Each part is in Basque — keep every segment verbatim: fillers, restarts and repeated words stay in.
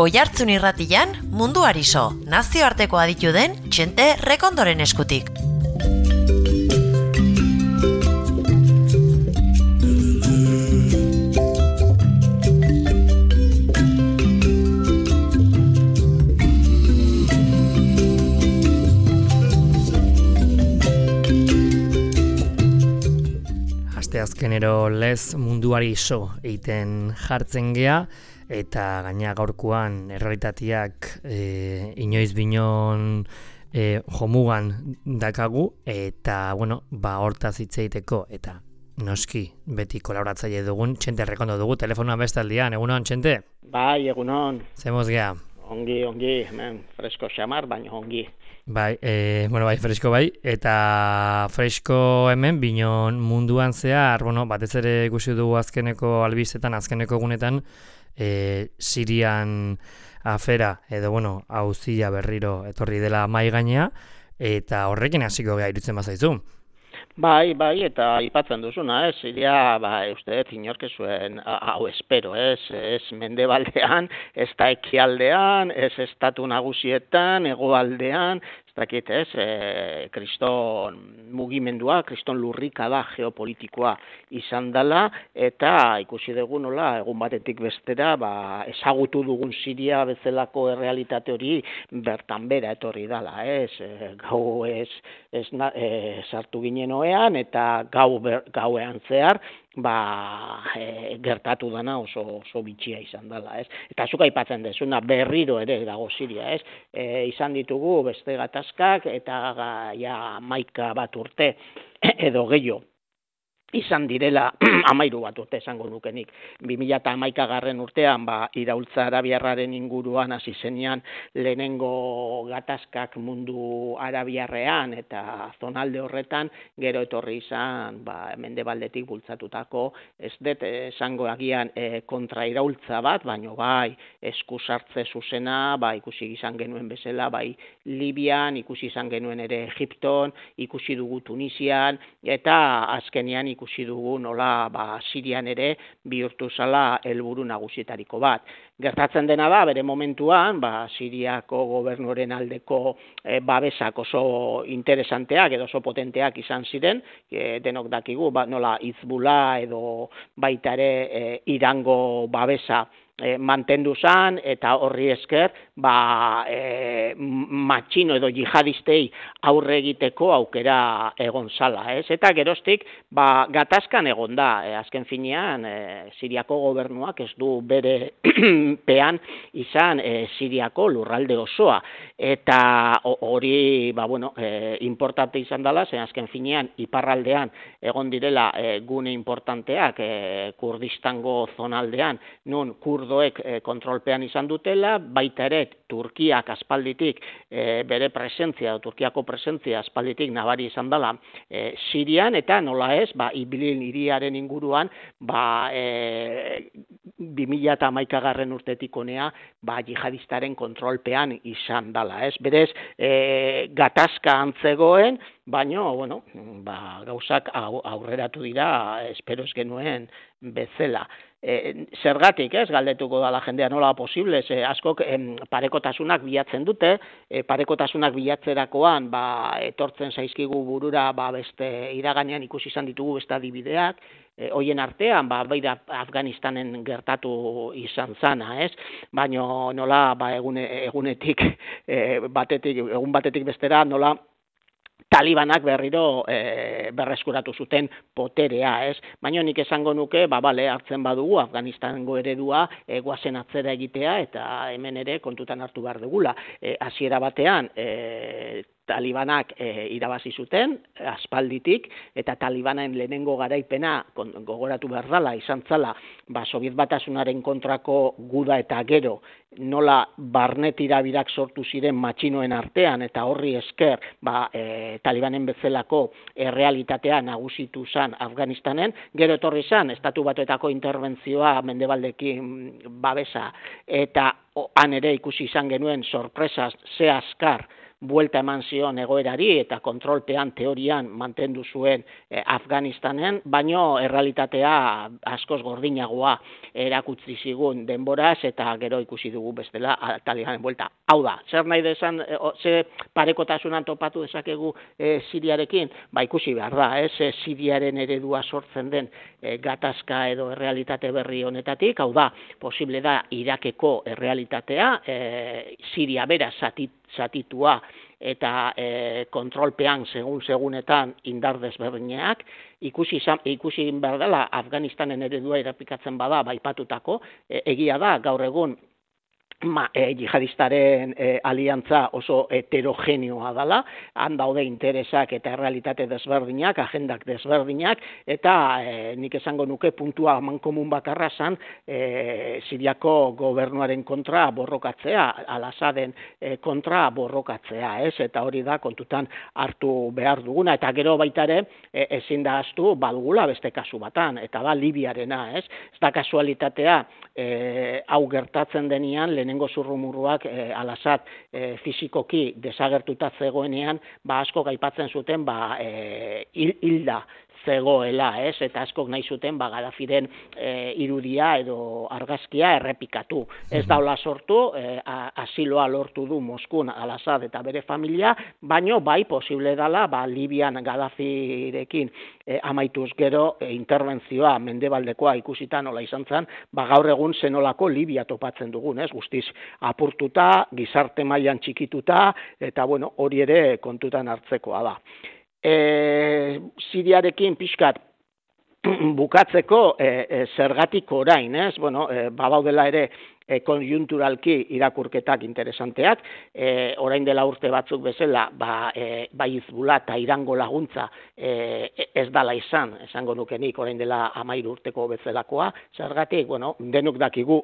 Oihartzun irratian munduari so, nazioarteko aditu den Txente Rekondoren eskutik. Azkenero lez munduari so eiten jartzen gea, eta gaina gaurkoan errealitateak e, inoiz binon e, jomugan dakagu, eta bueno, ba hortaz hitz egiteko eta noski beti kolaboratzaile dugun Txente Rekondo dugu telefonoan bestaldian. Egunon, Txente? Bai, egunon. Zemoz gea? Ongi, ongi, hemen fresko xamar, baina ongi. Bai, e, bueno, bai, fresko bai, eta fresko hemen binon munduan zehar, bueno, batez ere ikusi dugu azkeneko albistetan, azkeneko egunetan, e, Sirian afera, edo, bueno, auzia berriro etorri dela mai gainea, eta horrekin hasiko gea irutzen bazaizu. Bai, bai, eta aipatzen duzuna, ez, Siria, ba, uste, inork zuen, hau espero, ez, ez mendebaldean, ez da ekialdean, ez estatu nagusietan, hegoaldean, ez dakit, ez, e, kriston mugimendua, kriston lurrikada geopolitikoa izan dela, eta ikusi dugu nola, egun batetik bestera, ba, ezagutu dugun Siria bezalako errealitate hori bertan bera etorri dela, ez, e, gau ez, ez na, e, sartu ginen oean, eta gau ber, gauean zehar, ba, e, gertatu dana oso, oso bitxia izan dela, ez? Eta zuk aipatzen dezuna berriro ere dago Siria, ez? E, izan ditugu beste gatazkak eta ga, ja maika bat urte edo gehiago izan direla amairu bat urte esango nukenik. bi mila hamaika garren urtean, ba, iraultza arabiarraren inguruan hasi zenean lehenengo gatazkak mundu arabiarrean eta zonalde horretan, gero etorri izan, ba, mendebaldetik bultzatutako, ez dut esango agian e, kontra iraultza bat, baino bai, esku sartze zuzena, ba, ikusi izan genuen bezala, bai, Libian, ikusi izan genuen ere Egipton, ikusi dugu Tunisian, eta azkenean ikusi ikusi dugu nola ba, Sirian ere bihurtu zala helburu nagusietariko bat. Gertatzen dena da, bere momentuan, ba, Siriako gobernuaren aldeko e, babesak oso interesanteak edo oso potenteak izan ziren, e, denok dakigu, ba, nola Hizbullah edo baita ere e, Irango babesa E, mantendu zan, eta horri esker ba, e, matxino edo jihadistei aurre egiteko aukera egon zala, ez? Eta geroztik ba, gatazkan egon da, e, azken finean e, Siriako gobernuak ez du bere pean izan e, Siriako lurralde osoa, eta hori ba, bueno, e, importante izan dela, zen azken finean iparraldean egon direla e, gune importanteak e, Kurdistango zonaldean, nun kurdoek e, kontrolpean izan dutela, baita ere Turkiak aspalditik e, bere presentzia, Turkiako presentzia aspalditik nabari izan dela e, Sirian, eta nola ez, ba, Ibilin hiriaren inguruan, ba, e, bi mila hamaika garren urtetik honea, ba, jihadistaren kontrolpean izan dela, ez? Berez, e, gatazka antzegoen, baina, bueno, ba, gauzak aurreratu dira, espero ez genuen bezala. E, zergatik, ez, galdetuko da la jendea nola posible, ze askok em, parekotasunak bilatzen dute, e, parekotasunak bilatzerakoan, ba, etortzen zaizkigu burura, ba, beste iraganean ikusi izan ditugu beste adibideak, e, hoien artean, ba, baita Afganistanen gertatu izan zana, ez, baina nola, ba, egune, egunetik, e, batetik, egun batetik bestera, nola, Talibanak berriro e, berreskuratu zuten poterea, ez? Baina nik esango nuke, ba, bale, hartzen badugu, Afganistango eredua e, guazen atzera egitea, eta hemen ere kontutan hartu behar dugula. E, hasiera batean, e, Talibanak e, irabazi zuten, aspalditik, eta Talibanen lehenengo garaipena gogoratu behar dela, izan zala, ba, Sobiet Batasunaren kontrako guda eta gero, nola barne tirabirak sortu ziren matxinoen artean, eta horri esker, ba, e, Talibanen bezalako errealitatea nagusitu zan Afganistanen, gero etorri zan, Estatu Batuetako interbentzioa mendebaldekin babesa, eta han ere ikusi izan genuen sorpresaz ze askar, buelta eman zion egoerari eta kontrolpean teorian mantendu zuen e, Afganistanen, baino errealitatea askoz gordinagoa erakutsi zigun denboraz eta gero ikusi dugu bestela Talibanen buelta. Hau da, zer nahi desan, e, ze parekotasunan topatu dezakegu e, Siriarekin? Ba ikusi behar da, ez, e, Siriaren eredua sortzen den e, gatazka edo errealitate berri honetatik, hau da, posible da Irakeko errealitatea, e, Siria bera zatit, zatitua eta e, kontrolpean segun-segunetan indar desberdinak, ikusi, ikusi behar dela Afganistanen eredua errepikatzen bada baipatutako, e, egia da gaur egun Ma, e, jihadistaren e, aliantza oso heterogeneoa dela, han daude interesak eta errealitate desberdinak, agendak desberdinak, eta e, nik esango nuke puntua amankomun bakarra zan e, Siriako gobernuaren kontra borrokatzea, Al-Assaden e, kontra borrokatzea, ez? Eta hori da kontutan hartu behar duguna, eta gero baita ere e, ezin da ahaztu badugula beste kasu batan, eta da Libiarena, ez? Ez da kasualitatea e, hau gertatzen denian, lehenengo zurrumurruak e, Al-Assad e, fizikoki desagertuta zegoenean, ba asko gaipatzen zuten ba e, hilda zegoela, ez? Eta askok nahi zuten ba Gaddafiren e, irudia edo argazkia errepikatu. Ez daula sortu, e, asiloa lortu du Moskun Al-Assad eta bere familia, baino bai posible dela ba Libian Gaddafirekin e, amaituz gero e, interbentzioa mendebaldekoa ikusita nola izan zen, ba gaur egun zenolako Libia topatzen dugun, ez? Guztiz apurtuta, gizarte mailan txikituta, eta bueno, hori ere kontutan hartzekoa da. E, Siriarekin pixkat bukatzeko e, e, zergatik orain, ez? Bueno, e, babaudela ere e, konjunturalki irakurketak interesanteak, e, orain dela urte batzuk bezala, ba, e, bai Hizbullah eta Irango laguntza e, ez dala izan, esango nukenik orain dela hamairu urteko bezalakoa, zergatik, bueno, denok dakigu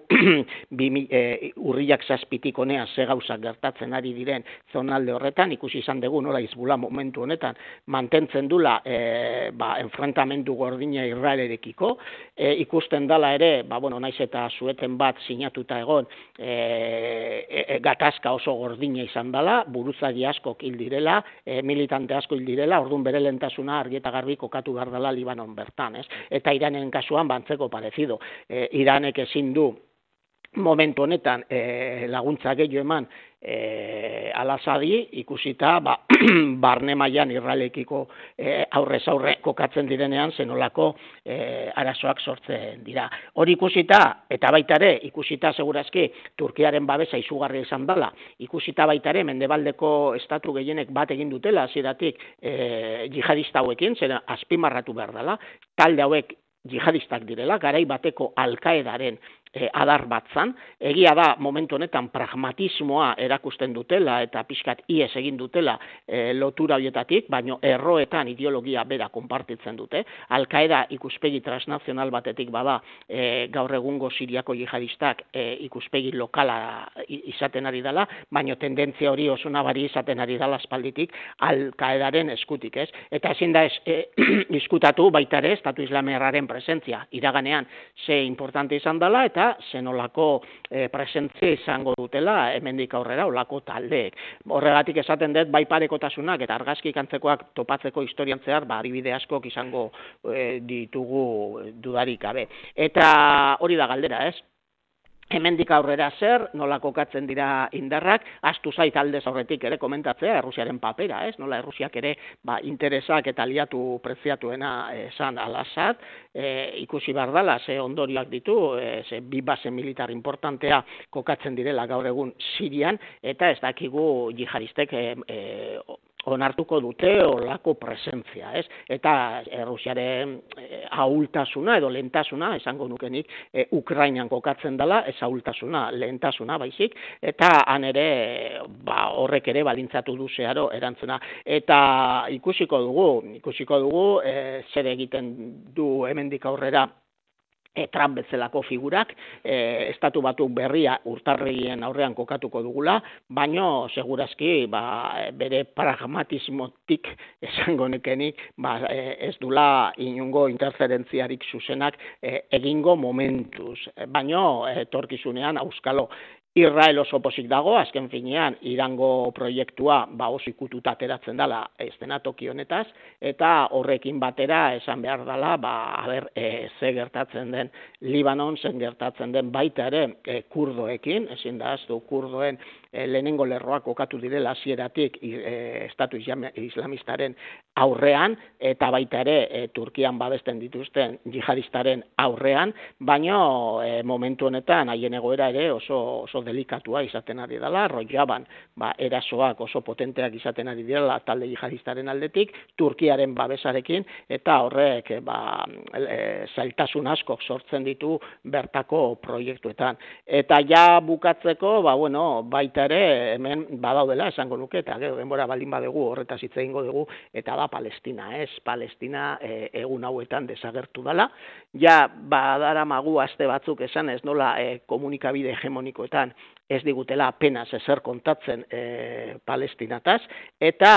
bimi, e, urriak zazpitik honea ze gauzak gertatzen ari diren zonalde horretan, ikusi izan dugu nola Hizbullah momentu honetan mantentzen dula e, ba, enfrentamendu gordina Israelerekiko, e, ikusten dala ere, ba, bueno, naiz eta zueten bat sinatuta egon e, e, gatazka oso gordina izan dela, buruzagi askok hil direla, e, militante asko hil direla, orduan bere lehentasuna argi eta garbi kokatu behar dela Libanon bertan, ez? Eta Iranen kasuan bantzeko parezido. E, Iranek ezin du momentu honetan e, laguntza gehiago eman e, Al-Assadi ikusita ba, barne mailan Israelekiko e, aurrez aurre kokatzen direnean zenolako e, arazoak sortzen dira. Hori ikusita eta baita ere ikusita segurazki Turkiaren babesa izugarria izan dela, ikusita baita ere mendebaldeko estatu gehienek bat egin dutela hasieratik e, jihadista hauekin, zera azpimarratu behar dela, talde hauek jihadistak direla, garai bateko Al-Qaedaren E, adar batzan, egia da momentu honetan pragmatismoa erakusten dutela eta pixkat ies egin dutela e, lotura horietatik, baino erroetan ideologia bera konpartitzen dute. Al-Qaeda ikuspegi transnazional batetik bada e, gaur egungo Siriako jihadistak e, ikuspegi lokala izaten ari dela, baino tendentzia hori oso nabari izaten ari dela aspalditik Al-Qaedaren eskutik, ez? Eta ezin da ez, e, diskutatu baita ere Estatu Islamiarraren presentzia iraganean ze importante izan dela eta zenolako e, presentzia izango dutela hemendik aurrera olako taldeek. Horregatik esaten dut bai parekotasunak eta argazki kantzekoak topatzeko historian zehar, ba, adibide askok izango e, ditugu dudarik gabe. Eta hori da galdera, ez? Hemendik aurrera zer, nola kokatzen dira indarrak, astu zait aldez aurretik ere komentatzea Errusiaren papera, ez? Nola Errusiak ere ba, interesak eta aliatu preziatuena esan Al-Assad, e, ikusi behar dela, ze ondorioak ditu, e, ze bi base militar importantea kokatzen direla gaur egun Sirian, eta ez dakigu jihadistek e, e, onartuko dute olako presentzia, ez? Eta Errusiaren e, ahultasuna edo lehentasuna, esango nukenik, e, Ukrainan kokatzen dela, ez ahultasuna, lehentasuna baizik, eta han ere ba, horrek ere balintzatu du zeharo erantzuna. Eta ikusiko dugu, ikusiko dugu, e, zer egiten du hemendik aurrera E, Trump bezalako figurak, e, estatu batu berria urtarrien aurrean kokatuko dugula, baino segurazki ba, bere pragmatismotik esango nekenik ba, e, ez dula inungo interferentziarik zuzenak e, egingo momentuz, baino etorkizunean auskalo Israel oso pozik dago, azken finean, Irango proiektua ba oso ikututa ateratzen dela eszenatoki honetaz, eta horrekin batera esan behar dela, ba, haber, e, ze gertatzen den Libanon, zen gertatzen den baita ere e, kurdoekin, ezin da aztu kurdoen e, lehenengo lerroak kokatu direla hasieratik e, estatu islamistaren aurrean, eta baita ere e, Turkian babesten dituzten jihadistaren aurrean, baina e, momentu honetan haien egoera ere oso, oso delikatua izaten ari dela, Rojaban ba, erasoak oso potenteak izaten ari dela talde jihadistaren aldetik, Turkiaren babesarekin, eta horrek ba, e, zailtasun askok sortzen ditu bertako proiektuetan. Eta ja bukatzeko, ba, bueno, baita ere hemen badaudela esango nuke, eta gero denbora baldin badugu horretaz hitz egingo dugu, eta da Palestina, ez? Palestina e, egun hauetan desagertu dela. Ja badaramagu aste batzuk esan ez nola e, komunikabide hegemonikoetan ez digutela apenas ezer kontatzen e, Palestinataz, eta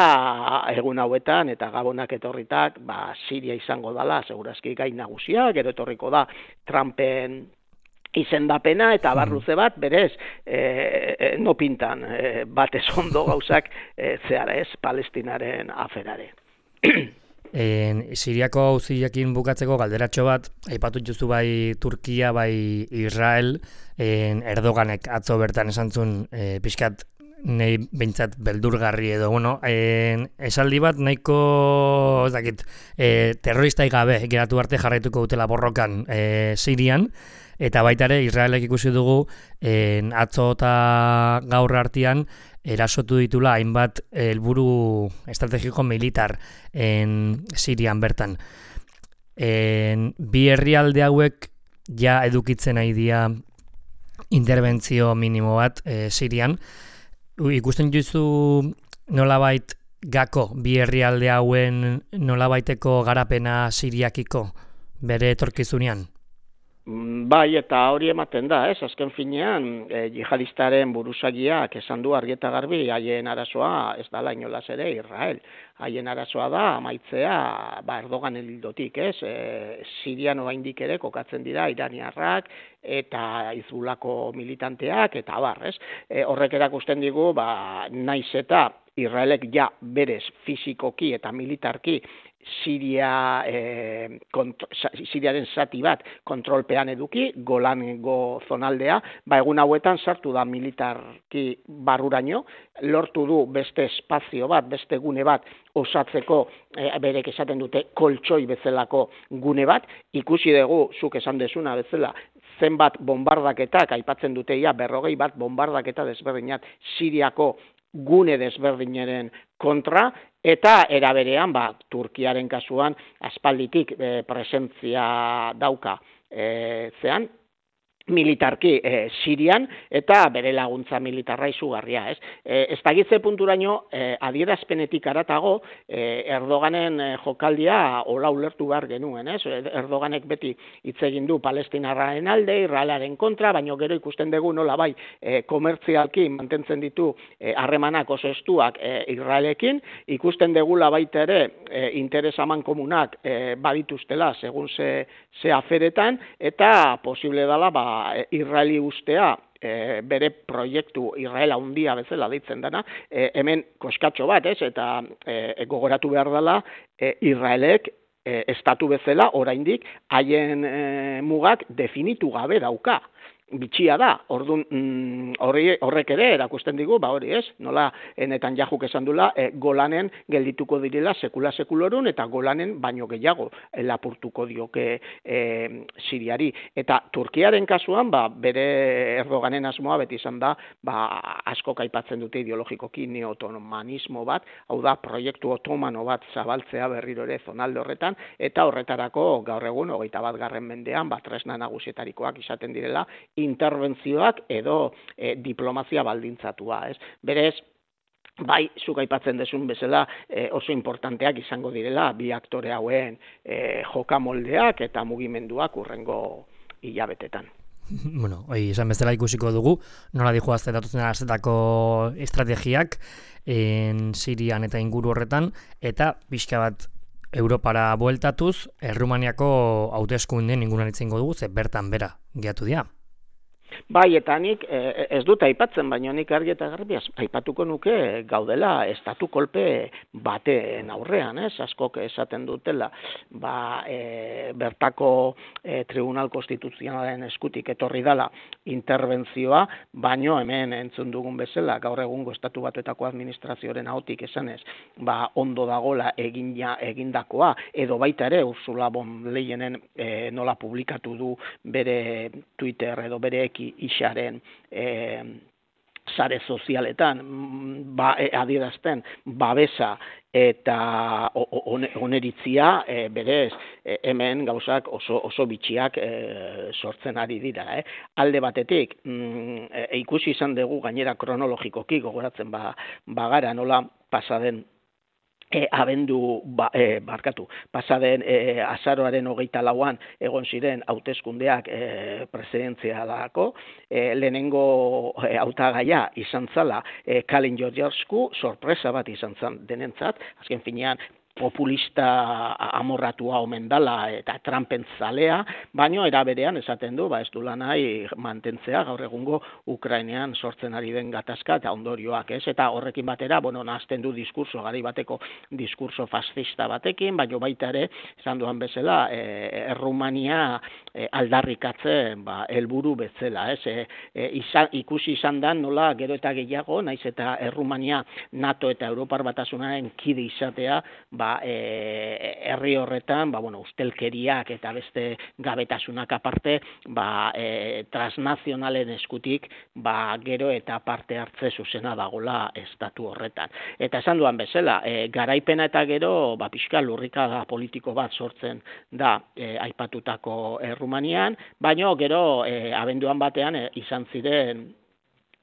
egun hauetan, eta gabonak etorritak, ba, Siria izango dela, segurazki gai nagusia, gero etorriko da Trumpen izendapena, eta barruze bat, berez, e, e, no pintan, e, batez ondo gauzak e, zehara ez, Palestinaren aferare. En, Siriako auziakin bukatzeko galderatxo bat, aipatu juzu bai Turkia, bai Israel, en, Erdoganek atzo bertan esantzun e, pixkat nahi behintzat beldurgarri edo, bueno, en, esaldi bat nahiko, ez dakit, e, terroristai gabe geratu arte jarraituko dutela borrokan e, Sirian, eta baita ere Israelek ikusi dugu en, atzo eta gaur artean erasotu ditula hainbat helburu estrategiko militar en Sirian bertan. En, bi herrialde hauek ja edukitzen nahi dira interbentzio minimo bat e, Sirian. Ikusten juzu nolabait gako bi herrialde hauen nolabaiteko garapena Siriakiko bere etorkizunean? Bai, eta hori ematen da, ez? Azken finean, e, jihadistaren buruzagiak esan du argi eta garbi, haien arazoa ez dala inolaz ere Israel. Haien arazoa da, amaitzea, ba, Erdogan hildotik, ez? E, Sirian oraindik ere kokatzen dira iraniarrak eta Hizbulako militanteak, eta abar, ez? E, horrek erakusten digu, ba, naiz eta Israelek ja berez fizikoki eta militarki Siria, eh, kontro, Siriaren zati bat kontrolpean eduki, Golango zonaldea, ba egun hauetan sartu da militarki barruraino, lortu du beste espazio bat, beste gune bat osatzeko, eh, berek esaten dute koltsoi bezalako gune bat, ikusi dugu, zuk esan dezuna bezala, zenbat bombardaketak, aipatzen dute ia berrogei bat bombardaketa desberdinat Siriako gune desberdinaren kontra, eta eraberean, ba, Turkiaren kasuan, aspalditik e, presentzia dauka e, zean, militarki e, Sirian, eta bere laguntza militarra izugarria, ez? E, ez dagitze punturaino, e, adierazpenetik aratago, e, Erdoganen e, jokaldia hola ulertu behar genuen, ez? Erdoganek beti hitz egin du Palestinarraren alde, Israelaren kontra, baina gero ikusten dugu nola bai e, komertzialki mantentzen ditu harremanak e, oso estuak e, Israelekin, ikusten dugula baita ere e, interes aman komunak e, badituztela, segun ze, ze aferetan, eta posible dela, ba, Israeli ustea e, bere proiektu Israela handia bezala deitzen dena, e, hemen koskatxo bat, ez? Eta e, gogoratu behar dela e, Israelek e, estatu bezala oraindik haien e, mugak definitu gabe dauka. Bitxia da, ordun mm, horrek ere erakusten digu, ba hori ez, nola enetan jajuk esan dula, e, Golanen geldituko direla sekula sekulorun, eta Golanen baino gehiago e, lapurtuko dioke e, Siriari. Eta Turkiaren kasuan, ba, bere Erdoganen asmoa beti izan da, ba, asko aipatzen dute ideologikoki neotomanismo bat, hau da, proiektu otomano bat zabaltzea berriro ere zonalde horretan, eta horretarako gaur egun, hogeita bat garren mendean, ba, tresna nagusietarikoak izaten direla, interbentzioak edo e, diplomazia baldintzatua, ez? Berez, bai, zuk aipatzen desun bezala e, oso importanteak izango direla bi aktore hauen e, jokamoldeak eta mugimenduak urrengo hilabetetan. Bueno, hoi, esan bezala ikusiko dugu, nola dijo azte datuzen arazetako estrategiak en Sirian eta inguru horretan, eta pixka bat Europara bueltatuz, Errumaniako hauteskundeen inguruan itzengo dugu, ze bertan bera gehiatu dira. Bai, eta nik eh, ez dut aipatzen, baina nik argi eta garbi aipatuko nuke gaudela estatu kolpe baten aurrean, ez? Askok esaten dutela, ba, e, bertako e, Tribunal Konstituzionalaren eskutik etorri dala interbentzioa, baino hemen entzun dugun bezala, gaur egungo estatu batuetako administrazioaren ahotik esanez, ba, ondo dagola egina egindakoa, edo baita ere Ursula von Leyenen e, nola publikatu du bere Twitter edo bere eki isaren e, sare sozialetan ba, e, adierazten babesa eta oneritzia e, berez e, hemen gauzak oso, oso bitxiak e, sortzen ari dira. Eh? Alde batetik, mm, e, ikusi izan dugu gainera kronologikoki gogoratzen ba, bagara nola pasaden E, abendu, ba, e, barkatu, pasaden e, azaroaren hogeita lauan egon ziren hauteskundeak e, presidentzialako, e, lehenengo e, hautagaia izan zala e, Kalin Georgievsku, sorpresa bat izan zan denentzat, azken finean populista amorratua omen dala eta Trumpen zalea, baino era berean esaten du, ba ez dula nahi mantentzea gaur egungo Ukrainean sortzen ari den gatazka eta ondorioak, ez? Eta horrekin batera, bueno, nahazten du diskurso, garai bateko diskurso fascista batekin, baino baita ere, esan duan bezala, e, Errumania e, aldarrikatzen ba, helburu bezala, ez? E, e, izan, ikusi izan da nola gero eta gehiago, naiz eta Errumania NATO eta Europar Batasunaren kide izatea, ba, e, herri horretan, ba, bueno, ustelkeriak eta beste gabetasunak aparte, ba, e, transnazionalen eskutik, ba, gero eta parte hartze zuzena dagola estatu horretan. Eta esan duan bezala, e, garaipena eta gero, ba, pixka lurrikada politiko bat sortzen da e, aipatutako Errumanian, baino gero e, abenduan batean e, izan ziren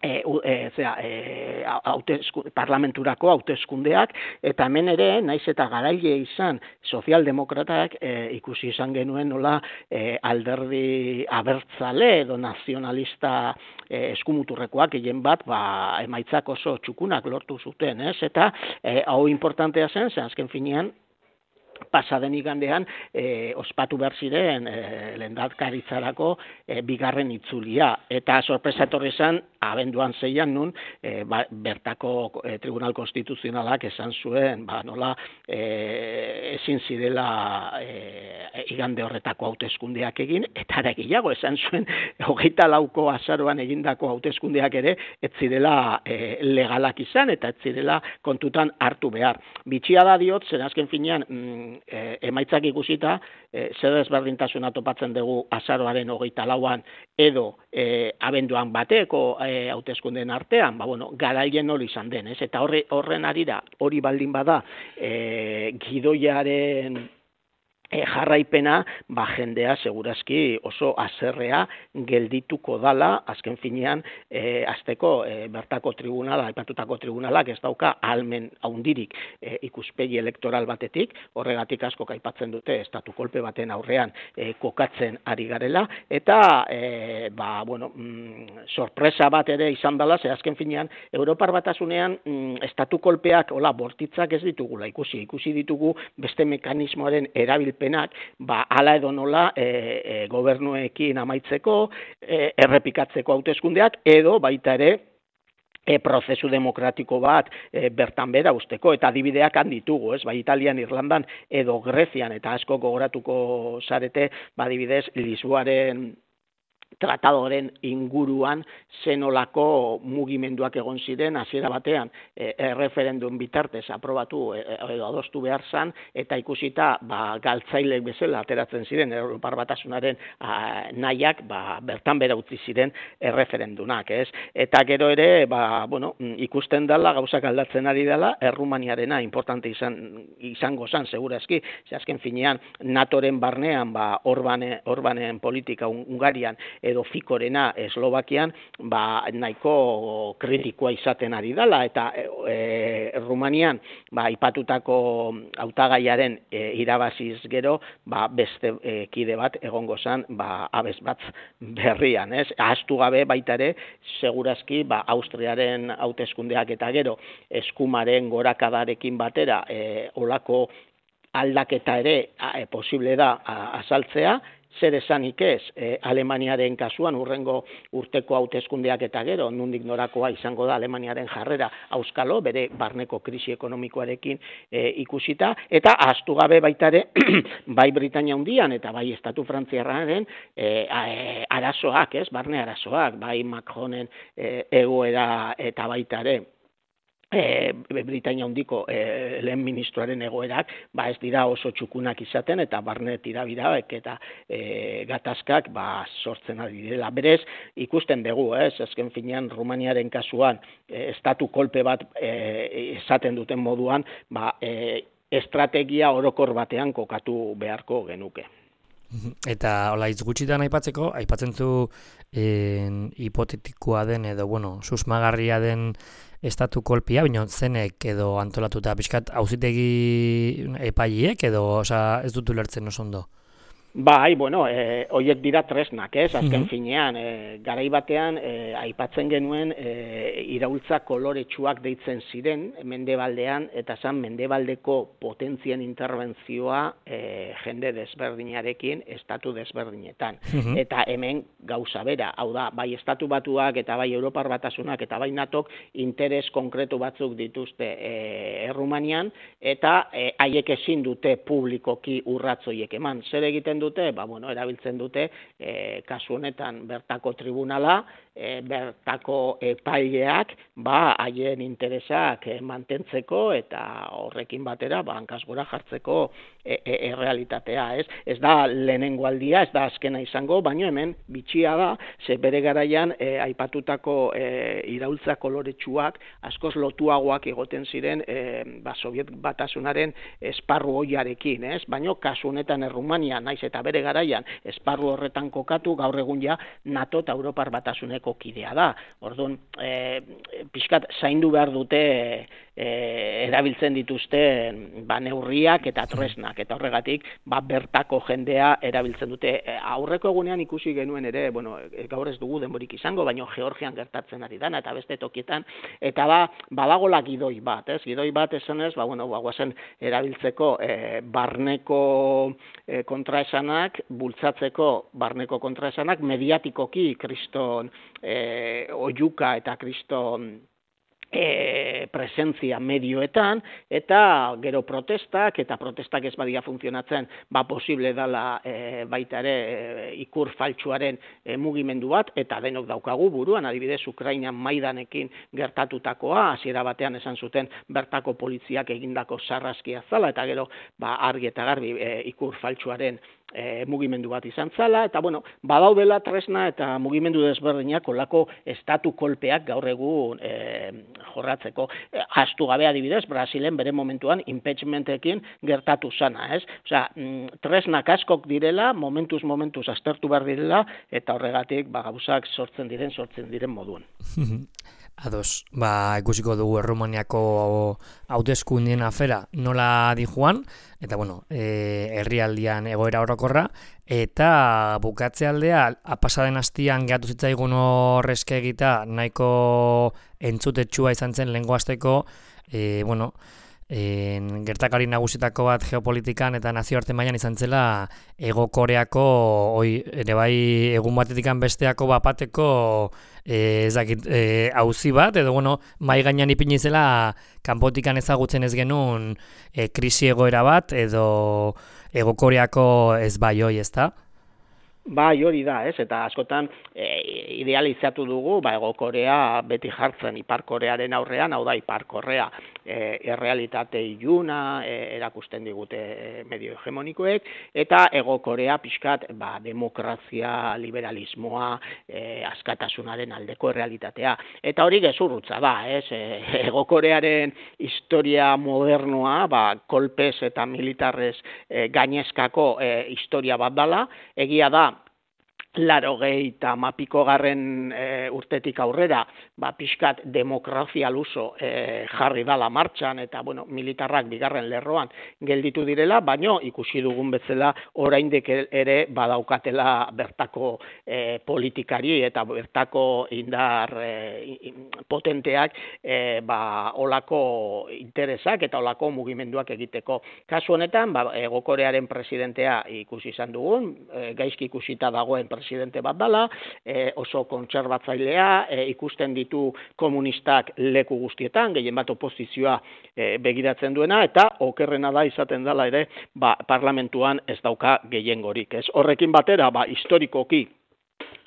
E, e, zera, e, hautesku, parlamenturako hauteskundeak, eta hemen ere, naiz eta garaile izan sozialdemokratak e, ikusi izan genuen nola e, alderdi abertzale edo nazionalista e, eskumuturrekoak egin bat, ba, emaitzak oso txukunak lortu zuten, ez? Eta e, hau importantea zen, zen azken finean, pasaden igandean e, ospatu behar ziren e, lehendakaritzarako e, bigarren itzulia. Eta sorpresa etorri zen, abenduan zeian nun, e, ba, bertako e, Tribunal Konstituzionalak esan zuen, ba, nola e, ezin zirela e, igande horretako hauteskundeak egin, eta ara gehiago esan zuen, hogeita lauko azaroan egindako hauteskundeak ere, ez zirela e, legalak izan, eta ez zirela kontutan hartu behar. Bitxia da diot, zen azken finean, mm, E, emaitzak ikusita, e, zer desberdintasuna topatzen dugu azaroaren hogeita lauan edo e, abenduan bateko e, hauteskundeen artean, ba, bueno, garaien hori izan den, ez? Eta horre, horren arira, hori baldin bada, e, gidoiaren E, jarraipena, ba, jendea segurazki oso azerrea geldituko dala, azken finean, e, azteko e, bertako tribunala, aipatutako tribunalak ez dauka ahalmen haundirik e, ikuspegi elektoral batetik, horregatik asko aipatzen dute estatu kolpe baten aurrean e, kokatzen ari garela, eta e, ba, bueno, mm, sorpresa bat ere izan dela, ze azken finean, Europar Batasunean mm, estatu kolpeak, hola, bortitzak ez ditugula ikusi, ikusi ditugu beste mekanismoaren erabil penak, ba, ala edo nola e, e, gobernuekin amaitzeko, e, errepikatzeko hauteskundeak, edo baita ere e, prozesu demokratiko bat e, bertan bera usteko, eta adibideak handitugu, ez, bai Italian, Irlandan, edo Grezian, eta asko gogoratuko zarete, ba, adibidez, Lisboaren tratadoren inguruan zenolako mugimenduak egon ziren hasiera batean e, erreferendum bitartez aprobatu e, edo adostu behar zan, eta ikusita ba, galtzailek bezala ateratzen ziren Europar Batasunaren a, nahiak ba, bertan bera utzi ziren erreferendumak, ez? Eta gero ere ba, bueno, ikusten dela gauzak aldatzen ari dela, Errumaniarena importante izan, izango zan segurazki, ze azken finean NATOren barnean ba, Orbane, Orbanen politika Ungarian edo Fikorena Eslovakian, ba, nahiko kritikoa izaten ari dela, eta e, Rumanian ba, ipatutako hautagaiaren e, irabaziz gero, ba, beste e, kide bat egongo zen ba, abez bat berrian, ez? Ahaztu gabe baita ere, segurazki ba, Austriaren hauteskundeak eta gero eskumaren gorakadarekin batera e, olako aldaketa ere e, posible da a, azaltzea, zer esanik ez, e, Alemaniaren kasuan urrengo urteko hauteskundeak eta gero, nondik norakoa izango da Alemaniaren jarrera auskalo, bere barneko krisi ekonomikoarekin e, ikusita, eta ahaztu gabe baita ere, bai Britania Handian eta bai Estatu Frantziarraren e, arazoak, ez, barne arazoak, bai Macronen e, egoera eta baita ere, E, Britania Handiko e, lehen ministroaren egoerak ba ez dira oso txukunak izaten eta barne tirabiraek eta e, gatazkak ba sortzen ari direla. Berez ikusten dugu, ez, azken finean Rumaniaren kasuan e, estatu kolpe bat e, esaten duten moduan, ba e, estrategia orokor batean kokatu beharko genuke. Eta hola hitz gutxitan aipatzeko, aipatzen zu en, hipotetikoa den edo bueno, susmagarria den estatu kolpia, baina zenek edo antolatuta pixkat auzitegi epaileek edo, osea, ez dut ulertzen oso ondo. Bai, bueno, e, horiek dira tresnak, ez, azken finean, e, garai batean, e, aipatzen genuen e, iraultza koloretsuak deitzen ziren, mendebaldean, eta zan mendebaldeko potentzien interbentzioa e, jende desberdinarekin, estatu desberdinetan. Eta hemen gauza bera, hau da, bai estatu batuak eta bai Europar Batasunak eta bai natok interes konkretu batzuk dituzte e, Errumanian, eta e, haiek ezin dute publikoki urratzoiek eman. Zer egiten dute, ba, bueno, erabiltzen dute e, kasu honetan bertako tribunala, e, bertako epaileak ba haien interesak e, mantentzeko eta horrekin batera ba hankaz gora jartzeko e, e, errealitatea, ez? Ez da lehenengo aldia, ez da azkena izango, baina hemen bitxia da, ze bere garaian e, aipatutako e, iraultza koloretsuak askoz lotuagoak egoten ziren e, ba, Soviet Batasunaren esparru hoiarekin, ez? Baina kasu honetan Errumania naiz eta bere garaian esparru horretan kokatu, gaur egun ja NATO eta Europar Batasuneko kidea da. Orduan, e, pixkat zaindu behar dute e, erabiltzen dituzte ba, neurriak eta tresnak, eta horregatik ba, bertako jendea erabiltzen dute. E, aurreko egunean ikusi genuen ere, bueno, gaur ez dugu denborik izango, baina Georgian gertatzen ari dana eta beste tokietan, eta ba, badagola gidoi bat, ez? Gidoi bat esanez, ba, bueno, ba, guazen erabiltzeko e, barneko e, kontraesanak, bultzatzeko barneko kontraesanak, mediatikoki kriston e, oiuka eta kriston E, presentzia medioetan, eta gero protestak, eta protestak ez badia funtzionatzen, ba posible dala e, baita ere e, ikur faltsuaren e, mugimendu bat, eta denok daukagu buruan, adibidez Ukrainan Maidanekin gertatutakoa, hasiera batean esan zuten bertako poliziak egindako sarraskia zala, eta gero ba argi eta garbi e, ikur faltsuaren E, mugimendu bat izan zala, eta bueno, badaudela tresna eta mugimendu desberdinak olako estatu kolpeak gaur egun e, jorratzeko. E, Astu gabe adibidez, Brasilen bere momentuan impeachmentekin gertatu zana, ez? Osea, mm, tresnak askok direla, momentuz momentuz aztertu behar direla, eta horregatik ba, gauzak sortzen diren, sortzen diren moduan. Ados, ba, ikusiko dugu Errumaniako hauteskundeen afera nola di joan, eta bueno, e, herrialdian egoera orokorra, eta bukatze aldea, pasaden hastian gehatu zitzaigun horrezke egita, nahiko entzutetsua izan zen lehengo hasteko, e, bueno, En, gertakari nagusitako bat geopolitikan eta nazioarte mailan izan zela Hego Koreako oi, ere bai egun batetikan besteako bapateko e, ezakit, e, auzi bat, edo bueno, mai gainean ipini zela kanpotikan ezagutzen ez genuen e, krisi egoera bat, edo Hego Koreako ez bai hoi, ezta? Bai, hori da, ez, eta askotan e, idealizatu dugu, ba, Hego Korea beti jartzen Ipar Korearen aurrean, hau da, Ipar Korea e, errealitate iluna e, erakusten digute e, medio hegemonikoek, eta Hego Korea pixkat, ba, demokrazia, liberalismoa, e, askatasunaren aldeko errealitatea. Eta hori gezurrutza da, ez, e, Hego Korearen historia modernoa, ba, kolpez eta militarrez e, gainezkako e, historia bat dala, egia da, larogei eta mapiko garren e, urtetik aurrera, ba, pixkat demokrazia luso e, jarri dala martxan, eta bueno, militarrak bigarren lerroan gelditu direla, baino ikusi dugun bezala oraindik ere badaukatela bertako e, politikari eta bertako indar e, potenteak e, ba, olako interesak eta olako mugimenduak egiteko. Kasu honetan, ba, Hego Korearen presidentea ikusi izan dugun, e, gaizki ikusita dagoen presidente bat dala, e, oso kontserbatzailea, e, ikusten ditu komunistak leku guztietan, gehien bat oposizioa e, begiratzen duena, eta okerrena da izaten dela ere, ba, parlamentuan ez dauka gehiengorik. Ez horrekin batera, ba, historikoki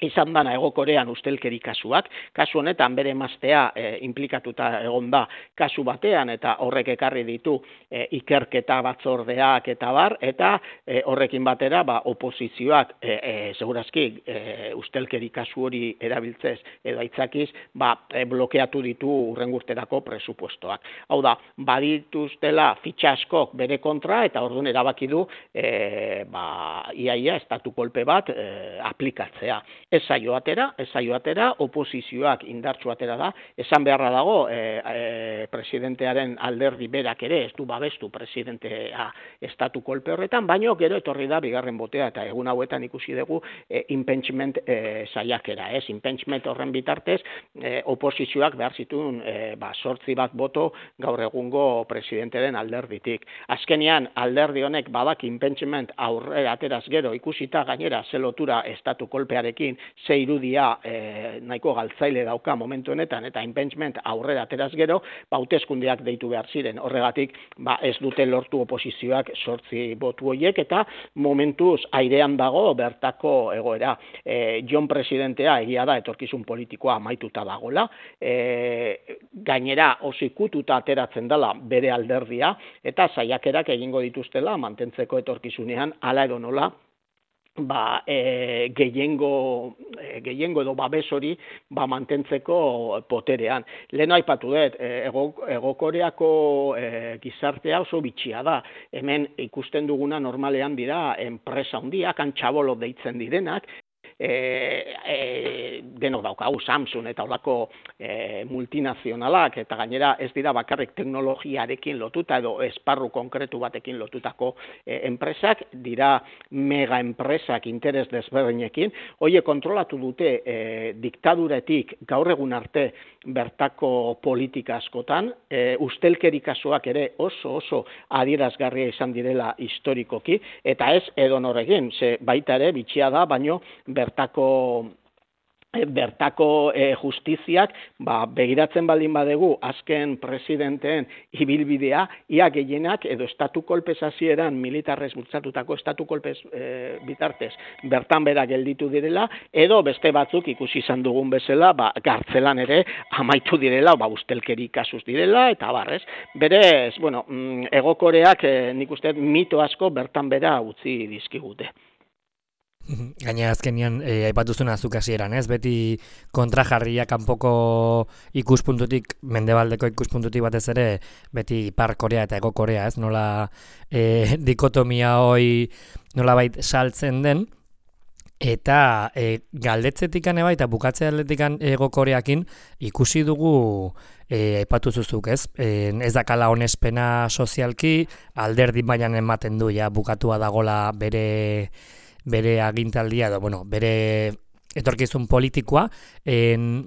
izan dana Hego Korean ustelkeri kasuak, kasu honetan bere emaztea e, implikatuta egon da kasu batean, eta horrek ekarri ditu e, ikerketa batzordeak eta bar, eta e, horrekin batera ba, oposizioak e, e, segurazki e, ustelkeri kasu hori erabiltzez edo aitzakiz ba, e, blokeatu ditu urrengurterako presupuestoak. Hau da, badituztela fitxa askok bere kontra, eta orduan erabaki du e, ba, iaia estatu kolpe bat e, aplikatzea. Ez zaio atera, ez zaio atera, oposizioak indartsu atera da, esan beharra dago e, e, presidentearen alderdi berak ere, ez du babestu presidentea estatu kolpe horretan, baino gero etorri da bigarren botea, eta egun hauetan ikusi dugu e, impeachment e, saiakera, ez? Impeachment horren bitartez, e, oposizioak behar zituen e, ba, sortzi bat boto gaur egungo presidentearen alderditik. Azkenean, alderdi honek badak impeachment aurrera ateraz gero ikusita gainera ze lotura estatu kolpearekin ze irudia e, nahiko galtzaile dauka momentu honetan, eta impeachment aurrera ateraz gero, ba, hauteskundeak deitu behar ziren. Horregatik, ba, ez dute lortu oposizioak sortzi botu horiek, eta momentuz airean dago bertako egoera. E, John presidentea egia da etorkizun politikoa amaituta dagola, e, gainera oso ikututa ateratzen dela bere alderdia, eta saiakerak egingo dituztela mantentzeko etorkizunean hala edo nola, ba, e, gehiengo, e, gehiengo edo babes hori ba, mantentzeko poterean. Lehen aipatu dut, e, ego, ego Koreako e, gizartea oso bitxia da. Hemen ikusten duguna normalean dira enpresa handiak, antxabolo deitzen direnak, E, e, denok daukagu Samsung eta olako e, multinazionalak, eta gainera ez dira bakarrik teknologiarekin lotuta edo esparru konkretu batekin lotutako e, enpresak, dira mega enpresak interes desberdinekin, hoie kontrolatu dute e, diktaduretik gaur egun arte bertako politika askotan, e, ustelkeri kasuak ere oso oso adierazgarria izan direla historikoki, eta ez edonorekin, ze baita ere bitxia da, baino bertako bertako e, justiziak ba, begiratzen baldin badegu azken presidenteen ibilbidea, ia gehienak edo estatu kolpez hasieran militarrez bultzatutako estatu kolpez e, bitartez bertan bera gelditu direla, edo beste batzuk ikusi izan dugun bezala, ba, gartzelan ere amaitu direla, ba, ustelkeri kasuz direla, eta barrez. Berez, bueno, Hego Koreak e, nik uste mito asko bertan bera utzi dizkigute. Gaina azkenian eh, aipatuzuna zuk hasieran, ez? Beti kontrajarria kanpoko ikuspuntutik, mendebaldeko ikuspuntutik batez ere, beti Ipar Korea eta Hego Korea, ez? Nola eh, dikotomia hoi nolabait saltzen den, eta eh, galdetzetikan eba eta bukatze aldetikan Hego Koreakin ikusi dugu eh, aipatu zuzuk, ez? Eh, ez dakala onespena sozialki, alderdi mailan ematen du, ja, bukatua dagola bere bere agintaldia edo, bueno, bere etorkizun politikoa, en,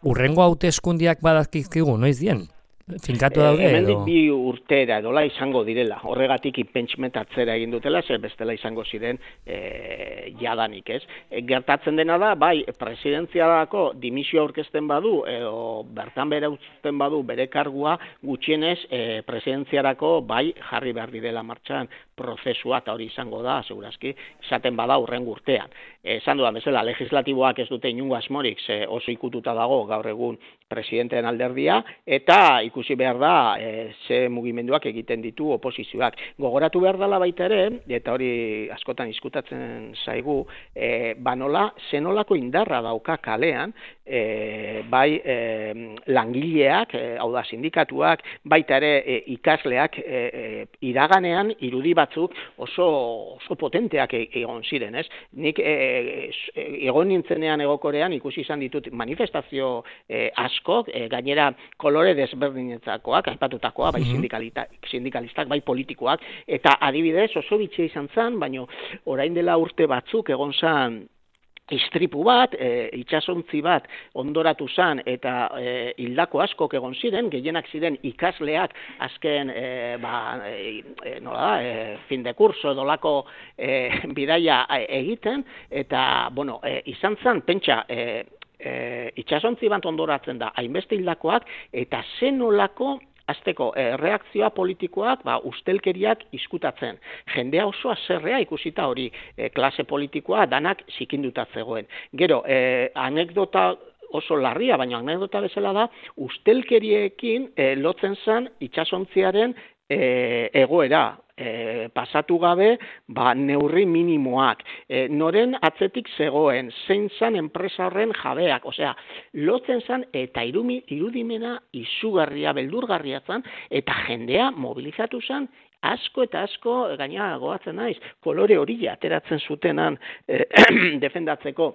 urrengo hauteskundiak badazkizkigu, noiz dien? Finkatu daude e, edo? Hemendik bi urtera edola izango direla, horregatik impeachment atzera egin dutela, zer bestela izango ziren e, jadanik, ez? E, gertatzen dena da, bai, presidentzialako dimisio aurkezten badu, edo bertan bere utzten badu bere kargua, gutxienez e, presidentziarako bai jarri behar direla martxan prozesua, eta hori izango da, segurazki, izaten bada urrengo urtean. Esan dudan bezala, legislatiboak ez dute inungo asmorik, ze oso ikututa dago gaur egun presidenteen alderdia, eta ikusi behar da e, ze mugimenduak egiten ditu oposizioak. Gogoratu behar dela baita ere, eta hori askotan izkutatzen zaigu, e, banola, zenolako indarra dauka kalean, e, bai e, langileak, e, hau da sindikatuak, baita ere e, ikasleak e, e, iraganean irudi bat batzuk oso, oso potenteak egon ziren, ez? Nik e, egon nintzenean Egokorean ikusi izan ditut manifestazio e, askok, e, gainera kolore desberdinetzakoak, aipatutakoa, bai sindikalistak, bai politikoak, eta adibidez oso bitxia izan zen, baina orain dela urte batzuk egon zen istripu bat, e, itsasontzi bat ondoratu zan eta e, hildako askok egon ziren, gehienak ziren ikasleak azken e, ba, e, nola da, e, fin de curso dolako e, bidaia egiten, eta bueno, e, izan zan, pentsa, e, e, itsasontzi bat ondoratzen da, hainbeste hildakoak, eta zenolako azteko eh, reakzioa politikoak ba, ustelkeriak izkutatzen. Jendea oso azerrea ikusita hori eh, klase politikoa danak zikinduta zegoen. Gero, eh, anekdota oso larria, baina anekdota bezala da, ustelkeriekin eh, lotzen zen itsasontziaren eh, egoera. E, pasatu gabe ba, neurri minimoak, e, noren atzetik zegoen, zein zan enpresa horren jabeak, osea, lotzen zan eta irumi, irudimena izugarria, beldurgarria zan, eta jendea mobilizatu zan, asko eta asko, gaina goatzen naiz, kolore hori ateratzen zutenan e, defendatzeko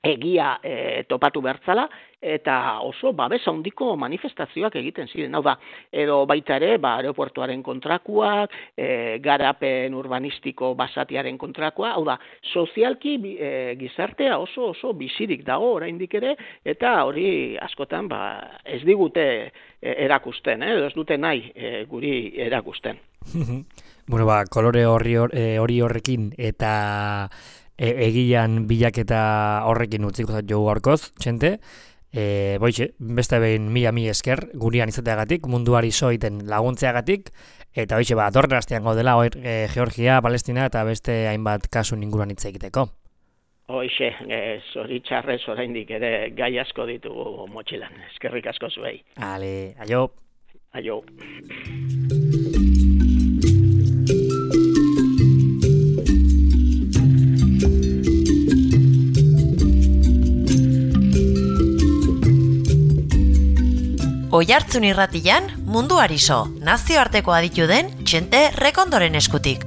egia e, topatu bertzala, eta oso babesa handiko manifestazioak egiten ziren. Hau da, edo baita ere, ba, aeroportuaren kontrakuak, e, garapen urbanistiko basatiaren kontrakoa, hau da, sozialki e, gizartea oso oso bizirik dago oraindik ere, eta hori askotan ba, ez digute e, erakusten, eh? Ez dute nahi e, guri erakusten. Bueno, ba, kolore horri hori horrekin eta E, egian bilaketa horrekin utziko zait jo gaurkoz, txente. E, boitxe, beste behin mila mi esker gurian izateagatik, munduari soiten laguntzeagatik, eta boitxe, ba, dorren astean gaudela, e, Georgia, Palestina eta beste hainbat kasu inguruan hitz egiteko. Hoixe, e, zoritxarrez oraindik ere gai asko ditugu motxilan. Eskerrik asko zuei. Ale, aio. Aio. Oihartzun irratian munduari so, nazioarteko aditu den Txente Rekondoren eskutik.